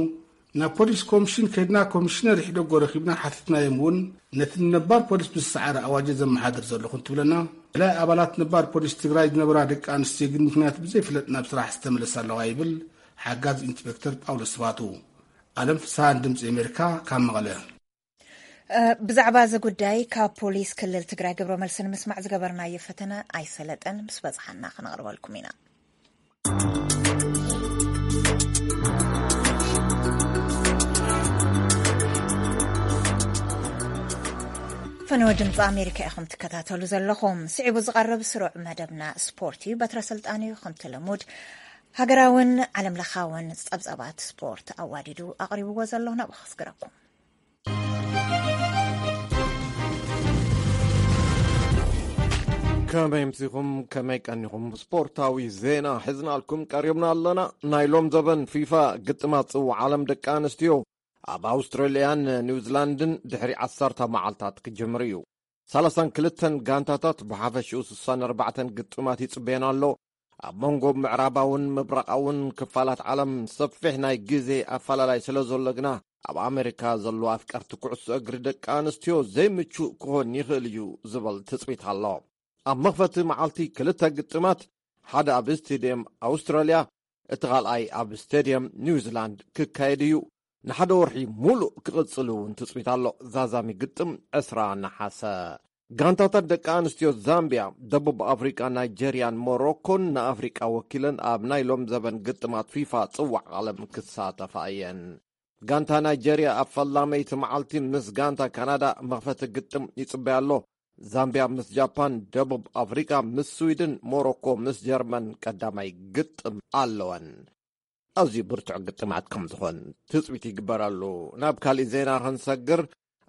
ናብ ፖሊስ ኮሚሽን ከይድና ኮሚሽነር ይሕደጎ ረኺብና ሓቲትናዮም እውን፣ ነቲ ንነባር ፖሊስ ብዝሰዓረ ኣዋጅ ዘመሓድር ዘለኹ እንትብለና፣ ገለ ኣባላት ነባር ፖሊስ ትግራይ ዝነበራ ደቂ ኣንስትዮ ግን ምኽንያት ብዘይፍለጥ ናብ ስራሕ ዝተመለሳ ኣለዋ ይብል ሓጋዝ ኢንስፔክተር ጳውሎስ ስባቱ። ኣለም ፍስሃን ድምፂ ኣሜሪካ ካብ መቐለ። እ፣ ብዛዕባ እዚ ጉዳይ ካብ ፖሊስ ክልል ትግራይ ግብረ መልሲ ንምስማዕ ዝገበርናዮ ፈተነ ኣይሰለጠን። ምስ በጽሓና ክነቕርበልኩም ኢና። ፈነወ ድምፂ ኣሜሪካ ኢኹም ትከታተሉ ዘለኹም። ስዒቡ ዝቐርብ ስሩዕ መደብና ስፖርት እዩ። በትረ ስልጣን እዩ ከምቲ ልሙድ ሃገራውን ዓለም ለኻውን ጸብጸባት ስፖርት ኣዋዲዱ ኣቕሪብዎ ዘሎ ናብኡ ከስግረኩም። ከመይ ምሲኹም፣ ከመይ ቀኒኹም? ስፖርታዊ ዜና ሒዝናልኩም ቀሪብና ኣለና። ናይ ሎም ዘበን ፊፋ ግጥማት ጽዋዕ ዓለም ደቂ ኣንስትዮ ኣብ ኣውስትራልያን ኒውዚላንድን ድሕሪ ዓሰርተ መዓልታት ክጅምር እዩ። ሰላሳን ክልተን ጋንታታት ብሓፈሽኡ ስሳን ኣርባዕተን ግጥማት ይጽበየን ኣሎ። ኣብ መንጎ ምዕራባውን ምብራቓውን ክፋላት ዓለም ሰፊሕ ናይ ግዜ ኣፈላላይ ስለ ዘሎ ግና፣ ኣብ ኣሜሪካ ዘለዋ ኣፍቀርቲ ኩዕሶ እግሪ ደቂ ኣንስትዮ ዘይምቹእ ክኾን ይኽእል እዩ ዝበል ትጽቢት ኣሎ። ኣብ መኽፈቲ መዓልቲ ክልተ ግጥማት፣ ሓደ ኣብ ስቴድየም ኣውስትራልያ፣ እቲ ካልኣይ ኣብ ስቴድየም ኒውዚላንድ ክካየድ እዩ። ንሓደ ወርሒ ሙሉእ ክቕጽል እውን ትጽቢት ኣሎ። ዛዛሚ ግጥም ዕስራ ነሓሰ። ጋንታታት ደቂ ኣንስትዮ ዛምቢያ፣ ደቡብ ኣፍሪቃ፣ ናይጀርያን ሞሮኮን ንኣፍሪቃ ወኪለን ኣብ ናይ ሎም ዘበን ግጥማት ፊፋ ጽዋዕ ዓለም ክሳተፋ እየን። ጋንታ ናይጀርያ ኣብ ፈላመይቲ መዓልቲ ምስ ጋንታ ካናዳ መኽፈቲ ግጥም ይጽበያ ኣሎ። ዛምቢያ ምስ ጃፓን፣ ደቡብ ኣፍሪቃ ምስ ስዊድን፣ ሞሮኮ ምስ ጀርመን ቀዳማይ ግጥም ኣለወን። ኣዝዩ ብርቱዕ ግጥማት ከም ዝኾን ትጽቢት ይግበረሉ። ናብ ካሊእ ዜና ክንሰግር፣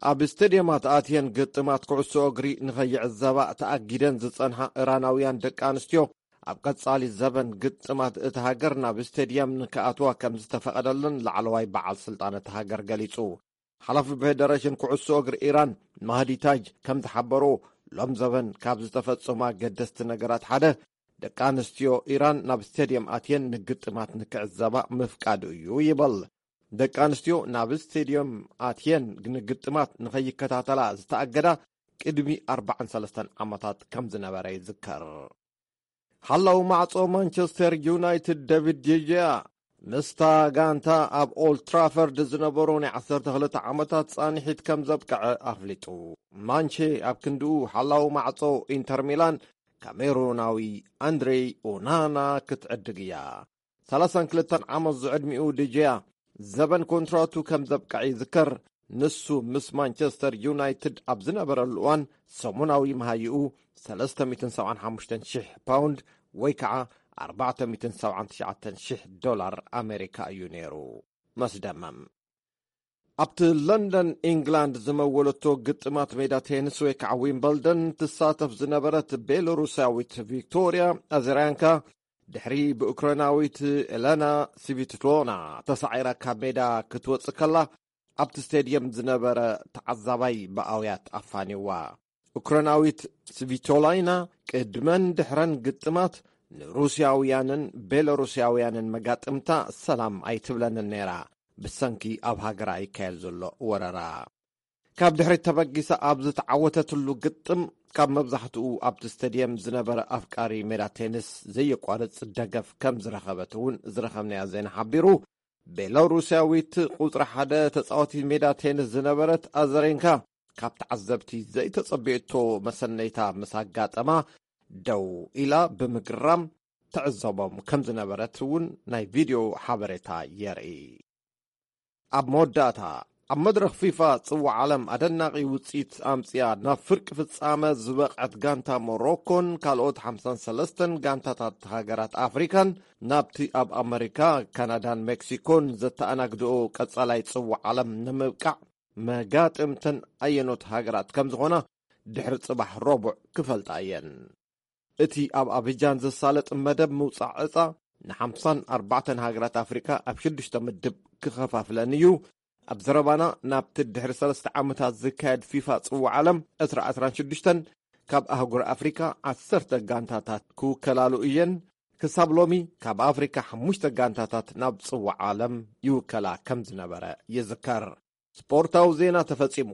ኣብ ስቴድየማት ኣትየን ግጥማት ኩዕሶ እግሪ ንኸይዕዘባ ተኣጊደን ዝጸንሓ ኢራናውያን ደቂ ኣንስትዮ፣ ኣብ ቀጻሊ ዘበን ግጥማት እታ ሃገር ናብ ስቴድየም ንክኣትዋ ከም ዝተፈቐደለን ላዕለዋይ በዓል ስልጣን እታ ሃገር ገሊጹ። ሓላፊ ፌደሬሽን ኩዕሶ እግሪ ኢራን ማህዲ ታጅ ከም ዝሓበሮ፣ ሎም ዘበን ካብ ዝተፈጸሙ ኣገደስቲ ነገራት ሓደ፣ ደቂ ኣንስትዮ ኢራን ናብ ስቴድየም ኣትየን ንግጥማት ንክዕዘባ ምፍቃዱ እዩ ይበል። ደቂ ኣንስትዮ ናብ ስቴድየም ኣትየን ንግጥማት ንኸይከታተላ ዝተኣገዳ ቅድሚ ኣርባዓን ሰለስተን ዓመታት ከም ዝነበረ ይዝከር። ሓላው ማዕጾ ማንቸስተር ዩናይትድ ዴቪድ ዲጂያ ምስታ ጋንታ ኣብ ኦልድ ትራፈርድ ዝነበሮ ናይ ዓሰርተ ክልተ ዓመታት ጻንሒት ከም ዘብቅዐ ኣፍሊጡ። ማንቼ ኣብ ክንድኡ ሓላው ማዕጾ ኢንተር ሚላን ካሜሩናዊ ኣንድሬ ኦናና ክትዕድግ እያ። ሰላሳን ክልተን ዓመት ዝዕድሚኡ ዲጂያ ዘበን ኮንትራቱ ከም ዘብቅዐ ይዝከር። ንሱ ምስ ማንቸስተር ዩናይትድ ኣብ ዝነበረሉ እዋን ሰሙናዊ መሃይኡ ሰለስተ ሚእትን ሰብዓን ሓሙሽተን ሽሕ ፓውንድ ወይ ከዓ ኣርባዕተ ሚእትን ሰብዓን ትሽዓተን ሽሕ ዶላር ኣሜሪካ እዩ ነይሩ። መስደመም ኣብቲ ለንደን ኢንግላንድ ዝመወለቶ ግጥማት ሜዳ ቴኒስ ወይ ከዓ ዊምበልደን ትሳተፍ ዝነበረት ቤሎሩሳዊት ቪክቶሪያ ኣዘራንካ ድሕሪ ብኡክራይናዊት ኤለና ስቪትሎና ተሳዒራ ካብ ሜዳ ክትወጽእ ከላ ኣብቲ ስቴድየም ዝነበረ ተዓዛባይ ብኣውያት ኣፋኒዋ። ኡክራይናዊት ስቪቶላይና ቅድመን ድሕረን ግጥማት ንሩስያውያንን ቤሎሩስያውያንን መጋጥምታ ሰላም ኣይትብለንን ነይራ፣ ብሰንኪ ኣብ ሃገራ ይካየድ ዘሎ ወረራ። ካብ ድሕሪት ተበጊሳ ኣብ ዝተዓወተትሉ ግጥም ካብ መብዛሕትኡ ኣብቲ ስቴድየም ዝነበረ ኣፍቃሪ ሜዳ ቴኒስ ዘየቋርጽ ደገፍ ከም ዝረኸበት እውን ዝረኸብናዮ ዜና ሓቢሩ። ቤላሩስያዊት ቁጽሪ ሓደ ተጻዋቲ ሜዳ ቴኒስ ዝነበረት ኣዘሬንካ ካብ ተዓዘብቲ ዘይተጸበየቶ መሰነይታ ምስ ኣጋጠማ ደው ኢላ ብምግራም ትዕዘቦም ከም ዝነበረት እውን ናይ ቪድዮ ሓበሬታ የርኢ። ኣብ መወዳእታ ኣብ መድረኽ ፊፋ ጽዋዕ ዓለም ኣደናቒ ውጽኢት ኣምጽያ ናብ ፍርቂ ፍጻመ ዝበቕዐት ጋንታ ሞሮኮን ካልኦት ሓምሳን ሰለስተን ጋንታታት ሃገራት ኣፍሪካን ናብቲ ኣብ ኣመሪካ፣ ካናዳን ሜክሲኮን ዘተኣናግድኦ ቀጻላይ ጽዋዕ ዓለም ንምብቃዕ መጋጥምተን ኣየኖት ሃገራት ከም ዝኾና ድሕሪ ጽባሕ ረቡዕ ክፈልጣ እየን። እቲ ኣብ ኣቢጃን ዝሳለጥ መደብ ምውጻዕ ዕጻ ንሓምሳን ኣርባዕተን ሃገራት ኣፍሪካ ኣብ ሽዱሽተ ምድብ ክኸፋፍለን እዩ። ኣብ ዘረባና ናብቲ ድሕሪ ሰለስተ ዓመታት ዝካየድ ፊፋ ጽዋዕ ዓለም ዕስራ ዕስራን ሽዱሽተን ካብ ኣህጉር ኣፍሪካ ዓሰርተ ጋንታታት ክውከላሉ እየን። ክሳብ ሎሚ ካብ ኣፍሪካ ሓሙሽተ ጋንታታት ናብ ጽዋዕ ዓለም ይውከላ ከም ዝነበረ ይዝከር። ስፖርታዊ ዜና ተፈጺሙ።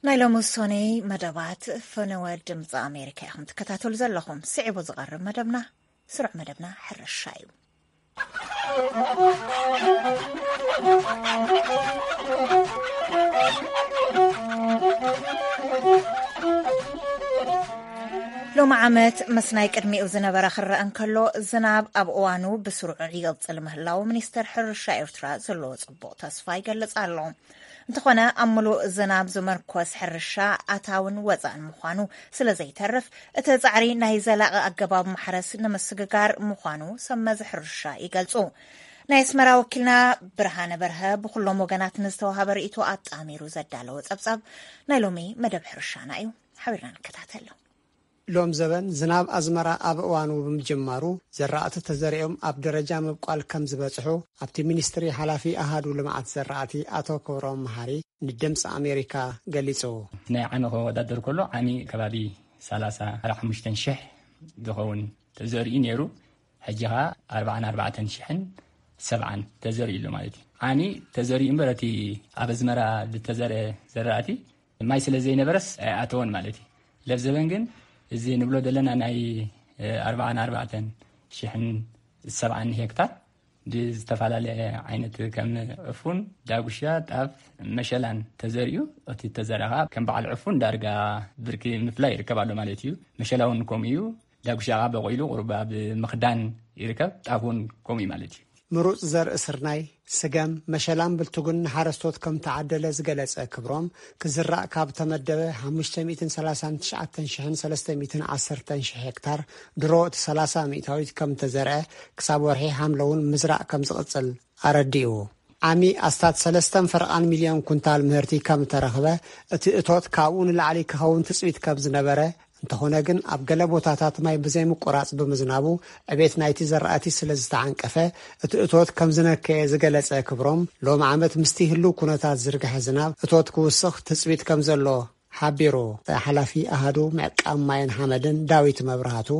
ናይ ሎሚ ውሳኔ መደባት ፈነወ ድምፂ ኣሜሪካ ኢኹም ትከታተሉ ዘለኹም። ስዒቡ ዝቐርብ መደብና ስሩዕ መደብና ሕርሻ እዩ። ሎሚ ዓመት ምስ ናይ ቅድሚኡ ዝነበረ ክረአ እንከሎ፣ ዝናብ ኣብ እዋኑ ብስሩዕ ይቕጽል ምህላው ሚኒስተር ሕርሻ ኤርትራ ዘለዎ ጽቡቕ ተስፋ ይገልጽ ኣሎ። እንተኾነ፣ ኣብ ምሉእ ዝናብ ዝመርኮስ ሕርሻ ኣታውን ወጻእን ምዃኑ ስለ ዘይተርፍ፣ እቲ ጻዕሪ ናይ ዘላቒ ኣገባብ ማሕረስ ንምስግጋር ምዃኑ ሰብ መዚ ሕርሻ ይገልጹ። ናይ ኣስመራ ወኪልና ብርሃነ በርሀ ብኹሎም ወገናት ንዝተዋሃበ ርእይቶ ኣጣሚሩ ዘዳለወ ጸብጻብ ናይ ሎሚ መደብ ሕርሻና እዩ። ሓቢርና ንከታተሎ። ሎም ዘበን ዝናብ ኣዝመራ ኣብ እዋኑ ብምጅማሩ፣ ዘራእቲ ተዘሪኦም ኣብ ደረጃ ምብቋል ከም ዝበጽሑ ኣብቲ ሚኒስትሪ ሓላፊ ኣሃዱ ልምዓት ዘራእቲ ኣቶ ክብሮም መሃሪ ንድምፂ ኣሜሪካ ገሊጹ። ናይ ዓሚ ክወዳደር ከሎ ዓሚ ከባቢ ሰላሳ ሓሙሽተ ሽሕ ዝኸውን ተዘሪኡ ነይሩ። ሕጂ ኸዓ ኣርባዓን ኣርባዕተን ሽሕን ሰብዓን ተዘሪኡ ኣሎ ማለት እዩ። ዓሚ ተዘሪኡ እምበር እቲ ኣብ ኣዝመራ ዝተዘርአ ዘራእቲ ማይ ስለ ዘይነበረስ ኣይኣተወን ማለት እዩ። ለብ ዘበን ግን እዚ ንብሎ ዘለና ናይ፣ እ፣ ኣርባዓን ኣርባዕተን ሽሕን ሰብዓን ሄክታር ብዝተፈላለየ ዓይነት ከም ዕፉን፣ ዳጉሻ፣ ጣፍ፣ መሸላን ተዘሪኡ፣ እቲ ተዘርኣ ከም በዓል ዕፉን ዳርጋ ብርኪ ምፍላይ ይርከብ ኣሎ ማለት እዩ። መሸላ እውን ከምኡ እዩ። ዳጉሻ በቂሉ ቁሩብ ኣብ ምኽዳን ይርከብ። ጣፍ እውን ከምኡ እዩ ማለት እዩ። ምሩፅ ዘርኢ ስርናይ፣ ስገም፣ መሸላን ብልትጉን ንሓረስቶት ከም ተዓደለ ዝገለጸ ክብሮም፣ ክዝራእ ካብ ተመደበ ሓሙሽተ ሚእትን ሰላሳን ትሽዓተን ሽሕን ሰለስተ ሚእትን ዓሰርተን ሽሕ ሄክታር ድሮ እቲ ሰላሳ ሚእታዊት ከም ተዘርአ፣ ክሳብ ወርሒ ሓምለ እውን ምዝራእ ከም ዝቕጽል ኣረዲኡ። ዓሚ ኣስታት ሰለስተን ፈረቓን ሚልዮን ኩንታል ምህርቲ ከም እተረኽበ፣ እቲ እቶት ካብኡ ንላዕሊ ክኸውን ትጽቢት ከም ዝነበረ፣ እንተኾነ ግን ኣብ ገለ ቦታታት ማይ ብዘይምቁራጽ ብምዝናቡ ዕቤት ናይቲ ዘራእቲ ስለ ዝተዓንቀፈ፣ እቲ እቶት ከም ዝነከየ ዝገለጸ ክብሮም፣ ሎም ዓመት ምስቲ ህሉው ኩነታት ዝርግሐ ዝናብ እቶት ክውስኽ ትጽቢት ከም ዘሎ ሓቢሩ። ሓላፊ ኣሃዱ ምዕቃብ ማይን ሓመድን ዳዊት መብራህቱ፣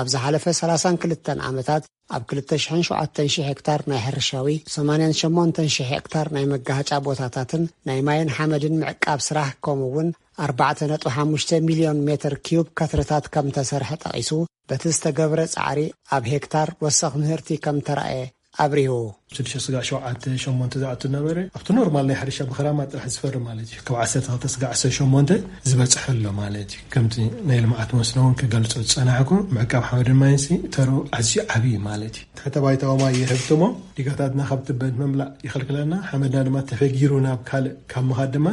ኣብ ዝሓለፈ ሰላሳን ክልተን ዓመታት ኣብ ክልተ ሽሕን ሸውዓተን ሽሕ ሄክታር ናይ ሕርሻዊ፣ ሰማንያን ሸሞንተን ሽሕ ሄክታር ናይ መጋሃጫ ቦታታትን ናይ ማይን ሓመድን ምዕቃብ ስራሕ፣ ከምኡ እውን ኣርባዕተ ነጥቢ ሓሙሽተ ሚልዮን ሜትር ኪዩብ ከትርታት ከም ተሰርሐ ጠቒሱ፣ በቲ ዝተገብረ ጻዕሪ ኣብ ሄክታር ወሰኽ ምህርቲ ከም ተራእየ ኣብሪሁ። ሽዱሽተ ስጋዕ ሸውዓተ ሸሞንተ ዝኣቱ ነበረ። ኣብቲ ኖርማል ናይ ሕርሻ ብኽራማ ጥራሕ ዝፈሪ ማለት እዩ። ካብ ዓሰርተ ክልተ ስጋዕ ዓሰርተ ሸሞንተ ዝበጽሐ ኣሎ ማለት እዩ። ከምቲ ናይ ልምዓት መስኖ እውን ክገልጾ ዝጸናሕኩ፣ ምዕቃብ ሓመድን ማይንሲ ተሩ ኣዝዩ ዓብዪ ማለት እዩ። ትሕተ ባይታዊ ማይ ይህብትሞ፣ ዲጋታትና ካብ ትበን መምላእ ይኸልክለና፣ ሓመድና ድማ ተፈጊሩ ናብ ካልእ ካብ ምኻድ ድማ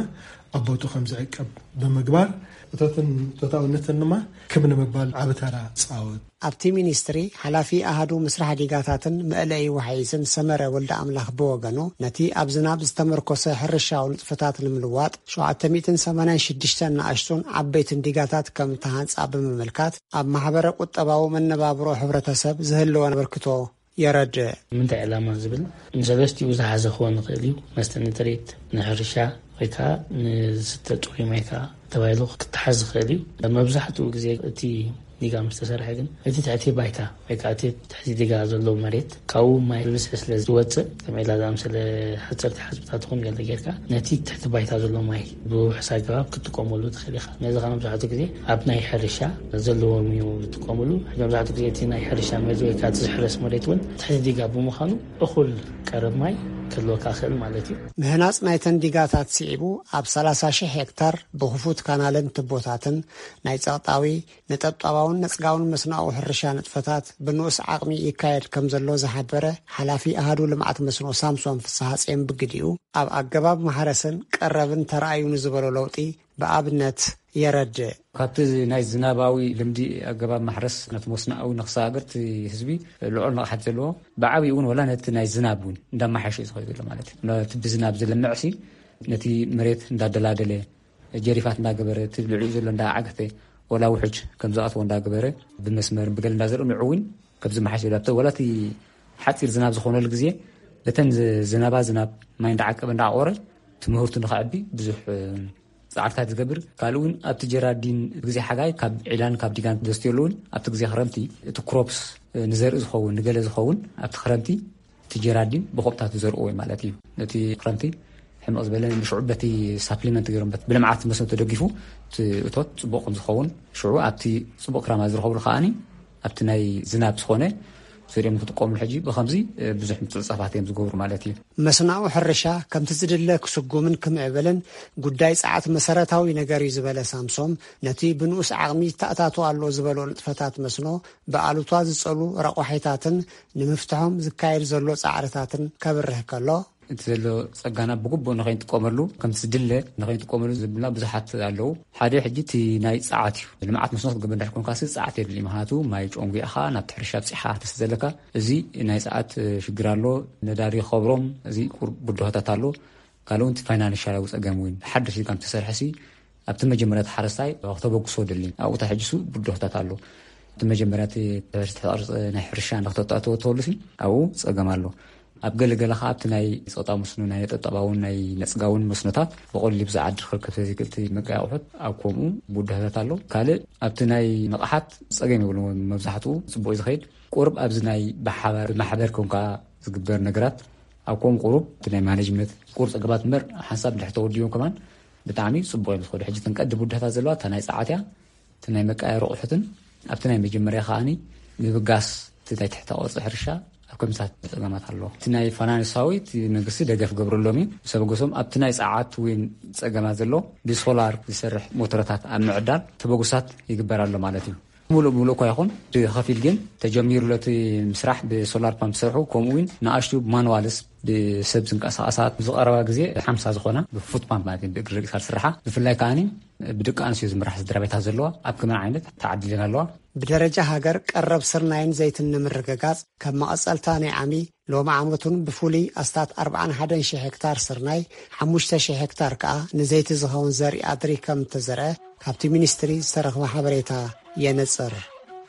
ኣብ ቦቱ ከም ዝዕቀብ ብምግባር፣ እቶትን እቶታውነትን ድማ ክብ ንምባል ዓቢ ተራ ጻወት። ኣብቲ ሚኒስትሪ ሓላፊ ኣሃዱ ምስራሕ ዲጋታትን መእለዪ ወሓይዝን ሰመረ ወልደ ኣምላኽ ብወገኑ፣ ነቲ ኣብ ዝናብ ዝተመርኮሰ ሕርሻዊ ንጥፈታት ንምልዋጥ ሸውዓተ ሚእትን ሰማንያን ሽዱሽተን ንኣሽቱን ዓበይትን ዲጋታት ከም ተሃንጻ ብምምልካት፣ ኣብ ማሕበረ ቁጠባዊ መነባብሮ ሕብረተሰብ ዝህልወን ኣበርክቶ የረድእ። ምንታይ ዕላማ ዝብል ንሰለስቲኡ ዝሓዘ ክኾን ይኽእል እዩ። መስተ ንጥሪት፣ ንሕርሻ ወይ ከዓ ንዝስተ ጽሩይ ማይ ከዓ ተባሂሉ ክተሓዝ ዝኽእል እዩ። መብዛሕትኡ ግዜ እቲ ዲጋ ምስ ተሰርሐ ግን እቲ ትሕቲ ባይታ ወይ ከዓ እቲ ትሕቲ ዲጋ ዘሎ መሬት ካብኡ ማይ ብብዝሒ ስለ ዝወፅእ፣ ከም ዒላ ዝኣምሰለ ሓፀርቲ ሓፅብታት ይኹን ገለ ጌርካ ነቲ ትሕቲ ባይታ ዘሎ ማይ ብውሑስ ኣገባብ ክትጥቀመሉ ትኽእል ኢኻ። ነዚ ከዓ መብዛሕትኡ ግዜ ኣብ ናይ ሕርሻ ዘለዎም እዩ ዝጥቀምሉ። ሕጂ መብዛሕትኡ ግዜ እቲ ናይ ሕርሻ መሬት ወይ ከዓ እቲ ዝሕረስ መሬት እውን ትሕቲ ዲጋ ብምዃኑ እኹል ቀረብ ማይ ክህልወካ ይኽእል ማለት እዩ። ምህናጽ ናይተን ዲጋታት ስዒቡ ኣብ ሰላሳ ሽሕ ሄክታር ብኽፉት ካናልን ትቦታትን ናይ ጸቕጣዊ፣ ነጠብጣባውን ነጽጋውን መስኖኣዊ ሕርሻ ንጥፈታት ብንኡስ ዓቕሚ ይካየድ ከም ዘሎ ዝሓበረ ሓላፊ ኣሃዱ ልምዓት መስኖ ሳምሶን ፍስሓጽዮን ብግዲኡ፣ ኣብ ኣገባብ ማሕረስን ቀረብን ተራእዩ ንዝበሎ ለውጢ ብኣብነት የረድእ። ካብቲ ናይ ዝናባዊ ልምዲ ኣገባብ ማሕረስ ናብቲ መስኖኣዊ ንክሰጋገር እቲ ህዝቢ ልዑል ንቕሓት ዘለዎ፣ ብዓብዩ እውን ወላ ነቲ ናይ ዝናብ እውን እንዳማሓሸ እዩ ዝኸይድ ዘሎ ማለት እዩ። ነቲ ብዝናብ ዝለምዕሲ ነቲ መሬት እንዳደላደለ፣ ጀሪፋት እንዳገበረ፣ እቲ ልዕሊኡ ዘሎ እንዳዓገተ፣ ወላ ውሕጅ ከም ዝኣትዎ እንዳገበረ፣ ብመስመር ብገለ እንዳዘርኡ ንዑ እውን ከም ዝመሓሽ ይብል። ኣብቲ ወላ እቲ ሓፂር ዝናብ ዝኾነሉ ግዜ በተን ዝ-፣ ዝናባ ዝናብ ማይ እንዳዓቀበ እንዳዓቆረ ትምህርቱ ንኸዕቢ ብዙሕ፣ እ፣ ጻዕርታት ዝገብር። ካልእ እውን ኣብቲ ጀራዲን ግዜ ሓጋይ ካብ ዒላን ካብ ዲጋን ዘስትየሉ እውን ኣብቲ ግዜ ክረምቲ እቲ ክሮፕስ፣ እ፣ ንዘርኢ ዝኸውን ንገለ ዝኸውን ኣብቲ ክረምቲ እቲ ጀራዲን ብኮብታት ዝዘርእዎ ማለት እዩ። ነቲ ክረምቲ ሕምቕ ዝበለ ንሽዑ በቲ ሳፕሊመንት ገይሮም በት-፣ ብልምዓት መስኖ ተደጊፉ እቲ እቶት ጽቡቕ ከም ዝኸውን ሽዑ ኣብቲ ጽቡቕ ክራማ ዝረኸብሉ ከኣኒ ኣብቲ ናይ ዝናብ ዝኾነ ዘሪኦም ክጥቀምሉ ሕጂ ብኸምዚ፣ እ፣ ብዙሕ ምትዕጻፋት እዮም ዝገብሩ ማለት እዩ። መስኖኣዊ ሕርሻ ከምቲ ዝድለ ክስጉምን ክምዕብልን ጉዳይ ጸዓት መሰረታዊ ነገር እዩ ዝበለ ሳምሶም፣ ነቲ ብንኡስ ዓቕሚ ይተኣታቶ ኣሎ ዝበሎ ንጥፈታት መስኖ ብኣሉታ ዝጸሉ ረቋሒታትን ንምፍትሖም ዝካየድ ዘሎ ጻዕርታትን ከብርህ ከሎ፣ እቲ ዘሎ ጸጋና ብግቡእ ንኸይንጥቀመሉ፣ ከምቲ ዝድለ ንኸይንጥቀመሉ ዝብልና ብዙሓት ኣለዉ። ሓደ ሕጂ እቲ ናይ ጸዓት እዩ። ልምዓት መስኖ ክትገብር እንድሕር ኮንካሲ ጸዓት የድሊ። ምኽንያቱ ማይ ጨንጒዕኻ ናብቲ ሕርሻ ኣብጺሕኻ ተስእ ዘለካ፣ እዚ ናይ ጸዓት፣ እ፣ ሽግር ኣሎ። ነዳዲ ከብሮም፣ እዚ ቁር-፣ ብድሆታት ኣሎ። ካልእ እውን እቲ ፋይናንሻላዊ ጸገም እውን ሓድሽ ዲጋ ምስ ተሰርሐሲ ኣብቲ መጀመርያ እቲ ሓረስታይ ክተበግሶ ደሊ። ኣብኡ ታ ሕጂ ሱ ብድሆታት ኣሎ። እቲ መጀመርያ እቲ ተበርስ ተቐርጸ ናይ ሕርሻ ንክተጣጥዎ ተወሉሲ ኣብኡ ጸገም ኣሎ። ኣብ ገለገለ ኸዓ ኣብቲ ናይ ጸቕጣ መስኖ፣ ናይ ነጠብጣባውን ናይ ነጽጋውን መስኖታት ብቐሊሉ ብዝዓድር ክርከብ ዘይክእል እቲ መቀያ ኣቑሑት ኣብ ከምኡ ብድሆታት ኣሎ። ካልእ ኣብቲ ናይ ንቕሓት ጸገም የብሉ። መብዛሕትኡ ጽቡቕ እዩ ዝኸይድ። ቁሩብ ኣብዚ ናይ ብሓባር ብማሕበር ኮንካ ዝግበር ነገራት ኣብ ከምኡ ቁሩብ እቲ ናይ ማኔጅመንት ቁሩብ ጸገማት እምበር ሓንሳብ እንድሕር ተወዲቦም ከማን ብጣዕሚ ጽቡቕ እዮም ዝኸዱ። ሕጂ እተን ቀንዲ ብድሆታት ዘለዋ እታ ናይ ጸዓት እያ። እቲ ናይ መቀያየሪ ኣቑሑትን ኣብቲ ናይ መጀመርያ ከኣኒ ምብጋስ እቲ ናይ ትሕቲ ቅርጺ ሕርሻ ኣብ ከምታት ጸገማት ኣለዎ። እቲ ናይ ፋይናንሳዊ እቲ መንግስቲ ደገፍ ገብረሎም እዩ። ሰበገሶም ኣብቲ ናይ ጸዓት እውን ጸገማት ዘሎ ብሶላር ዝሰርሕ ሞተረታት ኣብ ምዕዳል ተበግሶታት ይግበር ኣሎ ማለት እዩ። ሙሉእ ሙሉእ እኳ ይኹን ብኸፊል ግን ተጀሚሩ ኣሎ እቲ ምስራሕ ብሶላር ፓምፕ ዝሰርሑ፣ ከምኡ እውን ንኣሽቱ ማኑዋልስ ብሰብ ዝንቀሳቐሳ ዝቐረባ ግዜ ሓምሳ ዝኾና ብፉት ፓምፕ ማለት እዩ፣ ብእግሪ ርኢኻ ዝስርሓ፣ ብፍላይ ከኣኒ ብደቂ ኣንስትዮ ዝምራሕ ስድራ ቤታት ዘለዋ ኣብ ከመን ዓይነት ተዓዲለን ኣለዋ። ብደረጃ ሃገር ቀረብ ስርናይን ዘይትን ንምርግጋጽ ከም መቐጸልታ ናይ ዓሚ ሎሚ ዓመቱን ብፍሉይ ኣስታት ኣርብዓን ሓደን ሽሕ ሄክታር ስርናይ፣ ሓሙሽተ ሽሕ ሄክታር ከኣ ንዘይቲ ዝኸውን ዘርኢ ኣድሪ ከም እተዘርአ ካብቲ ሚኒስትሪ ዝተረኽበ ሓበሬታ የነጽር።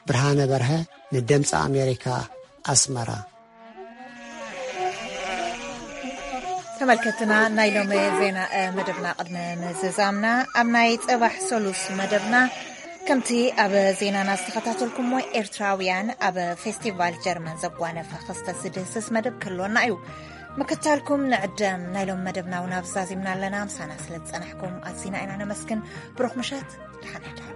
ብርሃነ በርሀ ንድምፂ ኣሜሪካ ኣስመራ። ተመልከትና ናይ ሎሚ ዜና፣ እ፣ መደብና ቅድሚ ምዝዛምና ኣብ ናይ ጽባሕ ሰሉስ መደብና ከምቲ ኣብ ዜናና ዝተኸታተልኩሞ፣ ኤርትራውያን ኣብ ፌስቲቫል ጀርመን ዘጓነፈ ክስተት ዝድህስስ መደብ ክህልወና እዩ። ምክታልኩም ንዕደም። ናይ ሎም መደብና እውን ኣብዚ ዛዚምና ኣለና። ምሳና ስለ ዝጸናሕኩም ኣዚና ኢና ነመስግን። ብሩኽ ምሸት፣ ደሓን ሕደሩ።